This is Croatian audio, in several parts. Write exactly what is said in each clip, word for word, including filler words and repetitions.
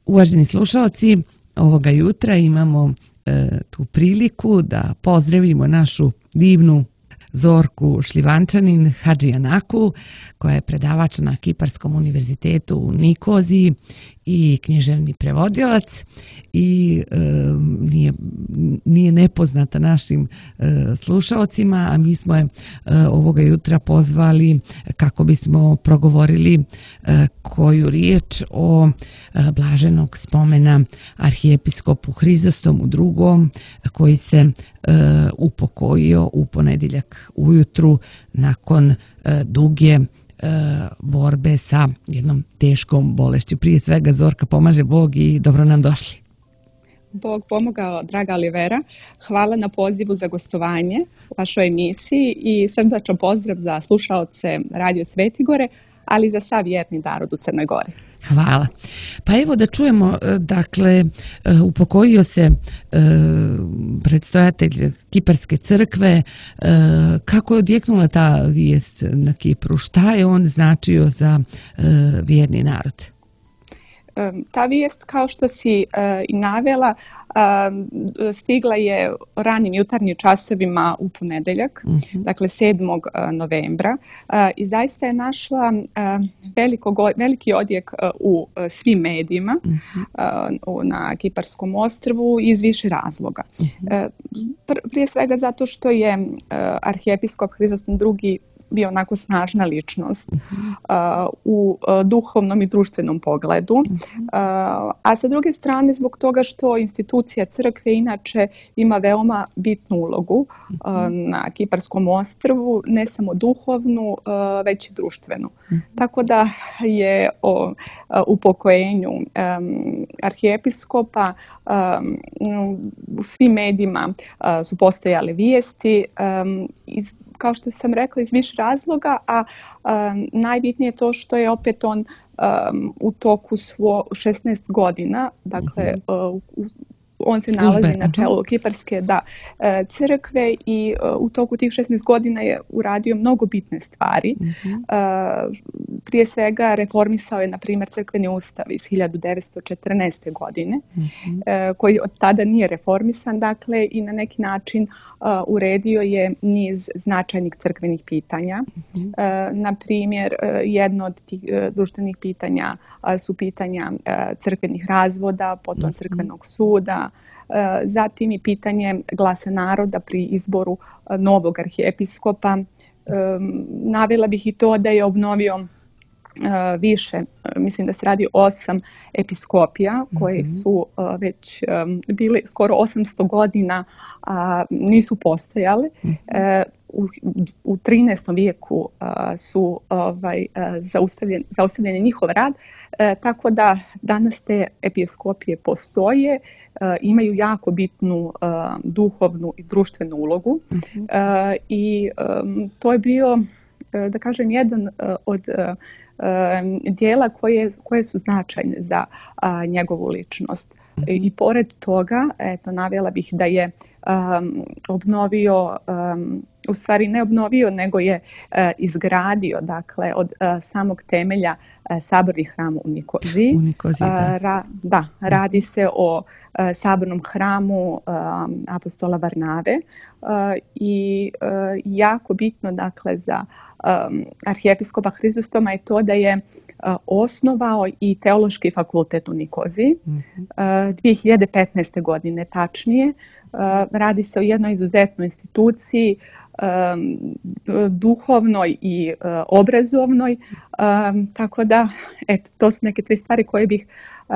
Uvaženi slušalci, ovoga jutra imamo e, tu priliku da pozdravimo našu divnu Zorku Šljivančanin Hadžijanaku, koja je predavač na Kiparskom univerzitetu u Nikoziji i književni prevodilac i e, nije, nije nepoznata našim e, slušaocima, a mi smo je e, ovoga jutra pozvali kako bismo progovorili e, koju riječ o e, blaženog spomena arhijepiskopu Hrizostomu drugom, koji se e, upokojio u ponedjeljak ujutru nakon e, duge borbe sa jednom teškom bolešću. Prije svega, Zorka, pomaže Bog i dobro nam došli. Bog pomogao, draga Olivera. Hvala na pozivu za gostovanje u vašoj emisiji i srdačan pozdrav za slušaoce Radio Svetigore, ali i za sav vjerni narod u Crnoj Gori. Hvala. Pa evo da čujemo, dakle, upokojio se predstojatelj Kiparske crkve. Kako je odjeknula ta vijest na Kipru? Šta je on značio za vjerni narod? Ta vijest, kao što si i navela, stigla je ranim jutarnjim časovima u ponedeljak, uh-huh. dakle sedmog novembra, i zaista je našla veliko, veliki odjek u svim medijima uh-huh. na Kiparskom ostrvu iz više razloga. Uh-huh. Prije svega zato što je arhijepiskop Hrizostom drugi bio onako snažna ličnost uh-huh. uh, u uh, duhovnom i društvenom pogledu, uh-huh. uh, a sa druge strane zbog toga što institucija crkve inače ima veoma bitnu ulogu uh-huh. uh, na Kiparskom ostrvu, ne samo duhovnu, uh, već i društvenu. Uh-huh. Tako da je o uh, upokojenju um, arhijepiskopa um, u svim medijima uh, su postojale vijesti um, iz kao što sam rekla, iz više razloga, a um, najbitnije je to što je opet on um, u toku svo šesnaest godina, dakle, uh, u, on se Službe. nalazi na čelu Kiparske da, crkve i uh, u toku tih šesnaest godina je uradio mnogo bitne stvari. Uh-huh. Uh, prije svega reformisao je, na primjer, crkveni ustav iz hiljadu devetsto četrnaeste. godine, uh-huh. uh, koji od tada nije reformisan, dakle, i na neki način uh, uredio je niz značajnih crkvenih pitanja. Uh-huh. Uh, na primjer, uh, jedno od tih uh, društvenih pitanja uh, su pitanja uh, crkvenih razvoda, potom uh-huh. crkvenog suda, zatim i pitanje glasa naroda pri izboru novog arhijepiskopa. Navela bih i to da je obnovio više, mislim da se radi o osam episkopija koje su već bile skoro osamsto godina, a nisu postojale. U, u trinaestom vijeku su ovaj, zaustavljen, zaustavljen je njihov rad, tako da danas te episkopije postoje, imaju jako bitnu uh, duhovnu i društvenu ulogu. Uh-huh. uh, i um, to je bio, uh, da kažem, jedan uh, od uh, uh, dijela koje, koje su značajne za uh, njegovu ličnost. Uh-huh. I, I pored toga, eto, navela bih da je um, obnovio, um, u stvari ne obnovio, nego je uh, izgradio, dakle, od uh, samog temelja uh, saborni hram u Nikoziji. U Nikoziji, da. Uh, ra, da, radi se o sabornom hramu um, apostola Varnave uh, i uh, jako bitno, dakle, za um, arhijepiskopa Hrizostoma je to da je uh, osnovao i teološki fakultet u Nikoziji mm-hmm. uh, dvije hiljade petnaeste. godine tačnije. Uh, radi se o jednoj izuzetnoj instituciji, um, duhovnoj i uh, obrazovnoj, um, tako da, eto, to su neke tri stvari koje bih uh,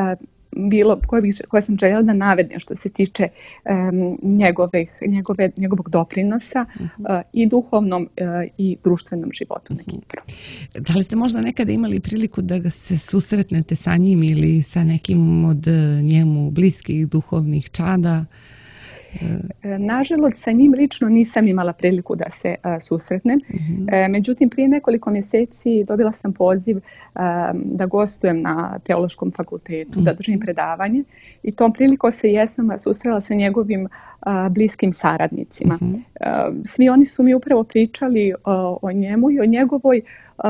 bilo koje, bih, koje sam željela da navedem što se tiče um, njegove, njegove, njegovog doprinosa uh-huh. uh, i duhovnom uh, i društvenom životu uh-huh. na Kipru. Da li ste možda nekada imali priliku da se susretnete sa njim ili sa nekim od njemu bliskih duhovnih čada? Nažalost, sa njim lično nisam imala priliku da se uh, susretnem. Uh-huh. Međutim, prije nekoliko mjeseci dobila sam poziv uh, da gostujem na Teološkom fakultetu, uh-huh. da držim predavanje. I tom prilikom se jesam susrela sa njegovim uh, bliskim saradnicima. Uh-huh. Uh, svi oni su mi upravo pričali uh, o njemu i o njegovoj uh,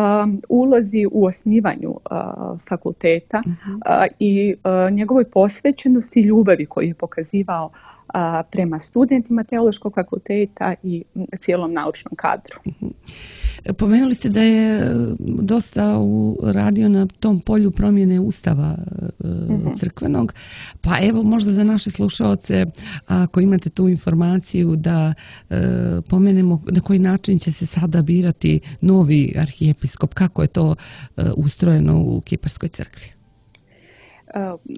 ulozi u osnivanju fakulteta i njegovoj posvećenosti i ljubavi koju je pokazivao prema studentima Teološkog fakulteta i cijelom naučnom kadru. Pomenuli ste da je dosta radio na tom polju promjene ustava mm-hmm. crkvenog, pa evo možda za naše slušaoce, ako imate tu informaciju da e, pomenemo na koji način će se sada birati novi arhijepiskop, kako je to e, ustrojeno u Kiparskoj crkvi?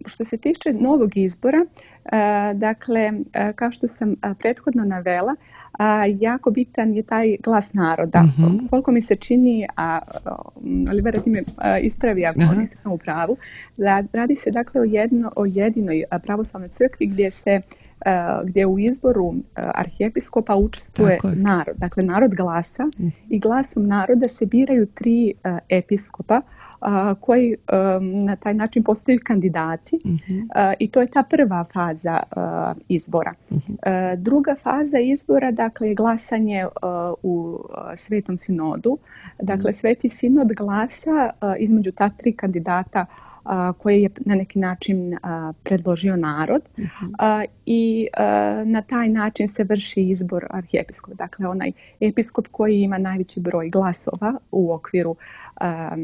Što se tiče novog izbora, dakle, kao što sam prethodno navela, jako bitan je taj glas naroda. Mm-hmm. Koliko mi se čini, a Olivera ti me ispravi ako uh-huh. nisam u pravu, radi se dakle o, jedno, o jedinoj pravoslavnoj crkvi gdje se gdje u izboru arhijepiskopa učestvuje narod. Dakle, narod glasa mm. i glasom naroda se biraju tri uh, episkopa uh, koji um, na taj način postaju kandidati mm-hmm. uh, i to je ta prva faza uh, izbora. Mm-hmm. Uh, druga faza izbora, dakle, je glasanje uh, u uh, Svetom sinodu. Dakle, mm. Sveti sinod glasa uh, između ta tri kandidata koje je na neki način a, predložio narod uh-huh. a, i a, na taj način se vrši izbor arhijepiskopa. Dakle, onaj episkop koji ima najveći broj glasova u okviru a,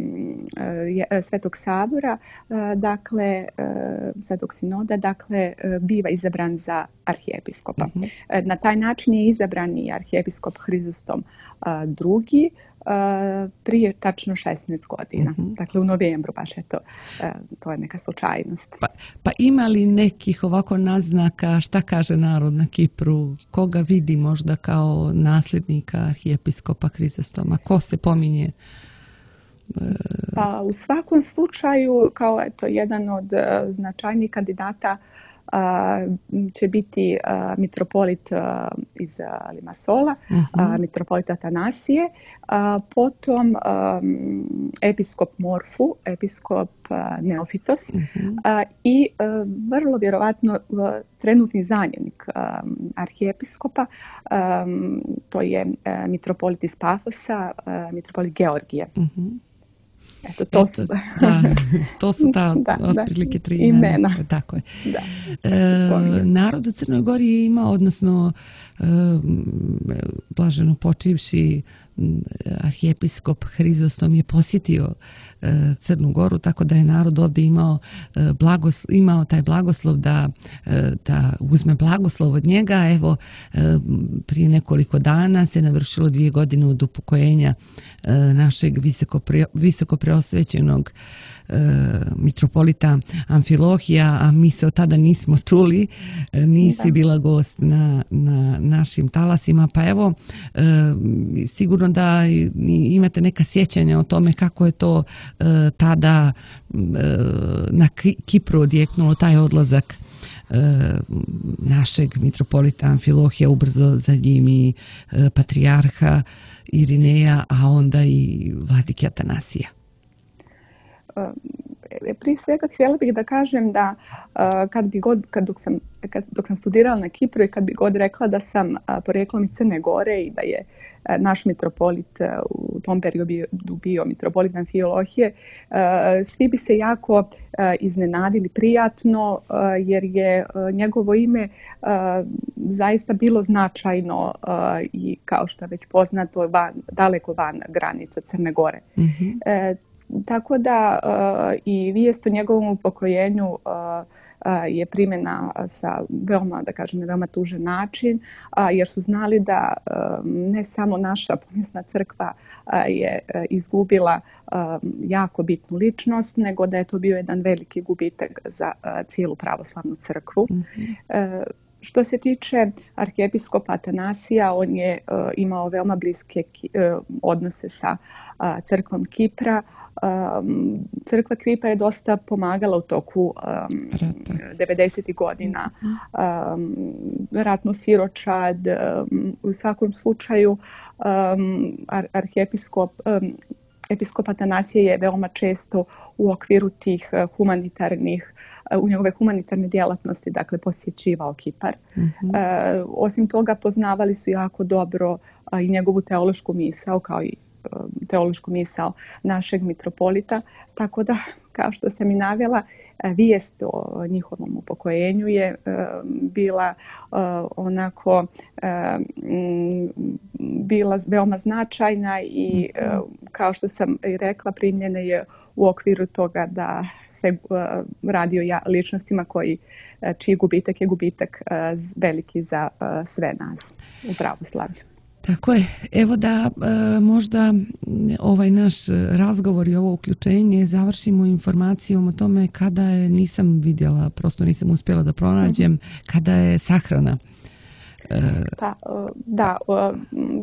a, Svetog sabora, a, dakle, a, Svetog sinoda, dakle, a, biva izabran za arhijepiskopa. Uh-huh. A, na taj način je izabran i arhijepiskop Hrizostom a, drugi, Uh, prije tačno šesnaest godina. Mm-hmm. Dakle, u novembru baš je to, uh, to je neka slučajnost. Pa, pa ima li nekih ovako naznaka šta kaže narod na Kipru? Koga vidi možda kao nasljednika arhijepiskopa Hrizostoma? Ko se pominje? Uh... Pa u svakom slučaju, kao eto, jedan od uh, značajnih kandidata Uh, će biti uh, mitropolit uh, iz uh, Limassola, uh-huh. uh, mitropolit Atanasije, uh, potom um, episkop Morfu, episkop uh, Neofitos uh-huh. uh, i uh, vrlo vjerovatno uh, trenutni zamjenik um, arhijepiskopa, um, to je uh, mitropolit iz Pafosa, uh, mitropolit Georgije. Uh-huh. Eto, to, Eto, su... da, to su ta da, otprilike tri imena. imena. Tako je. Da. E, narod u Crnoj Gori je imao, odnosno e, blaženo počivši arhijepiskop Hrizostom je posjetio e, Crnu Goru, tako da je narod ovdje imao, e, blagos, imao taj blagoslov da, e, da uzme blagoslov od njega. Evo, e, prije nekoliko dana se navršilo dvije godine od upokojenja e, našeg visoko, pre, visoko preosvećenog mitropolita Amfilohija, a mi se od tada nismo čuli, nisi da. bila gost na, na našim talasima, pa evo sigurno da imate neka sjećanja o tome kako je to tada na Kipru odjeknulo taj odlazak našeg mitropolita Amfilohija, ubrzo za njim i patrijarha Irineja, a onda i vladike Atanasija. Prije svega htjela bih da kažem da kad bi god, kad dok sam, kad, dok sam studirala na Kipru i kad bi god rekla da sam porijeklom iz Crne Gore i da je naš mitropolit u tom periodu bio mitropolit Amfilohije, svi bi se jako iznenadili prijatno jer je njegovo ime zaista bilo značajno i kao što je već poznato van, daleko van granica Crne Gore. Mm-hmm. Tako da uh, i vijest o njegovom upokojenju uh, uh, je primjena sa veoma, da kažem, na veoma tužan način, uh, jer su znali da uh, ne samo naša pomjesna crkva uh, je uh, izgubila uh, jako bitnu ličnost, nego da je to bio jedan veliki gubitak za uh, cijelu pravoslavnu crkvu. Mm-hmm. Uh, Što se tiče arhijepiskopa Atanasija, on je uh, imao veoma bliske ki, uh, odnose sa uh, crkvom Kipra. Um, crkva Kipra je dosta pomagala u toku um, devedesetih godina um, ratnu siročad. Um, u svakom slučaju um, ar, arhijepiskop um, episkop Atanasije je veoma često u okviru tih humanitarnih, u njegove humanitarne djelatnosti, dakle, posjećivao Kipar. Mm-hmm. E, osim toga, poznavali su jako dobro a, i njegovu teološku misao, kao i teološku misao našeg mitropolita, tako da, kao što sam i navela, vijest o njihovom upokojenju je bila onako bila veoma značajna i kao što sam i rekla, primljena je u okviru toga da se radi o ličnostima koji, čiji gubitak je gubitak veliki za sve nas u pravoslavlju. Tako je. Evo da e, možda ovaj naš razgovor i ovo uključenje završimo informacijom o tome kada je, nisam vidjela, prosto nisam uspjela da pronađem, kada je sahrana. Pa, da,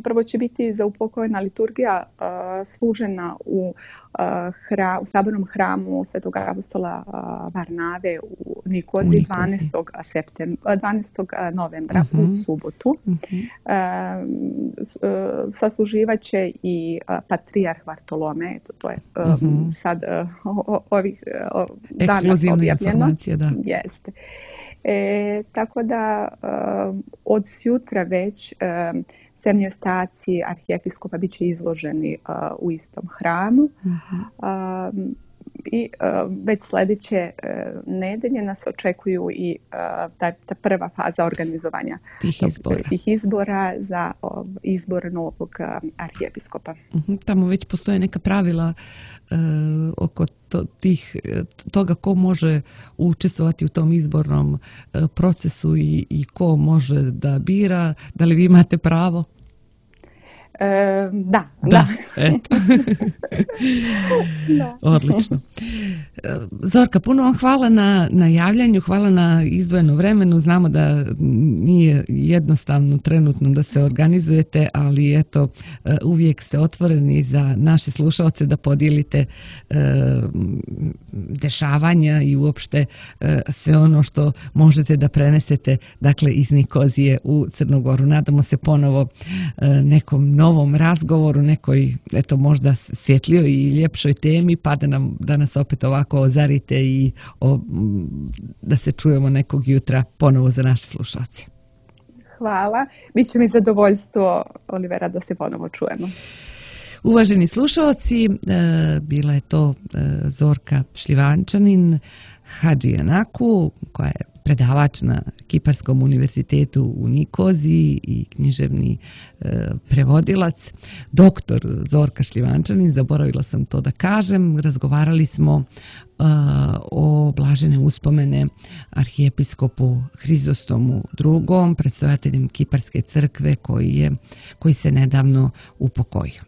prvo će biti zaupokojena liturgija služena u, hra, u sabornom hramu Svetog apostola Varnave u Nikoziji dvanaestog septembra, dvanaestog novembra uh-huh. u subotu. Uh-huh. Sasluživaće i patrijarh Vartolome, to, to je uh-huh. sad ovih dana objavljeno. Informacija, da. Jeste. E, tako da uh, od sutra već uh, semiostaci arhijepiskopa bit će izloženi uh, u istom hramu. Uh-huh. uh, I uh, već sljedeće uh, nedelje nas očekuju i uh, ta, ta prva faza organizovanja tih izbora, tih izbora za uh, izbor novog uh, arhijepiskopa. Uh-huh. Tamo već postoje neka pravila uh, oko to, tih, toga ko može učestvovati u tom izbornom uh, procesu i, i ko može da bira. Da li vi imate pravo? E, da, da. da. Eto. Da. Odlično. Zorka, puno vam hvala na, na javljanju, hvala na izdvojeno vremenu. Znamo da nije jednostavno trenutno da se organizujete, ali eto, uvijek ste otvoreni za naše slušalce da podijelite e, dešavanja i uopšte e, sve ono što možete da prenesete, dakle, iz Nikozije u Crnu Goru. Nadamo se ponovo e, nekom novom razgovoru, nekoj, eto, možda svjetlijoj i ljepšoj temi, pa da, nam, da nas opet ovako ozarite i o, da se čujemo nekog jutra ponovo za naše slušalce. Hvala. Biće mi zadovoljstvo, Olivera, da se ponovo čujemo. Uvaženi slušalci, e, bila je to e, Zorka Šljivančanin, Hadžijanaku, koja je predavač na Kiparskom univerzitetu u Nikoziji i književni e, prevodilac. Doktor Zorka Šljivančanin, zaboravila sam to da kažem, razgovarali smo e, o blažene uspomene arhijepiskopu Hrizostomu drugom, predstojateljem Kiparske crkve koji, je, koji se nedavno upokojio.